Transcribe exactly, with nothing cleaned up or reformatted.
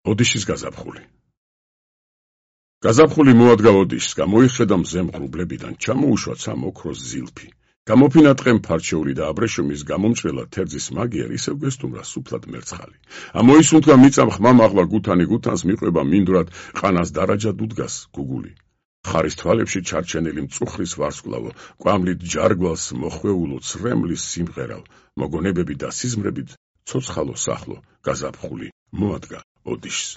ოდიშის გაზაფხული. გაზაფხული მოადგა ოდიშს, გამოიხედა მზე მღრუბლებიდან, ჩამოუშვა ცა მოქროს ზილფი. გამოფინა ტყემ ფარჩეული და აბრეშუმის გამომჭრელა თერძის მაგიერ ისევ გესტუმრა სუფლად მერცხალი. ამოისუნთქა მიწამ ხმა მაღლა გუთანი გუთანს მიყვება მინდვრად ყანას დარაჯად უდგას გუგული. ხარის თვალებში ჩარჩენილი მწუხრის ვარსკვლავო, კვამლით ჯარგვალს მოხვეულო ცრემლის სიმღერალ, მოგონებები და სიზმრებით ცოცხალო სახლო გაზაფხული მოადგა ოდიშს.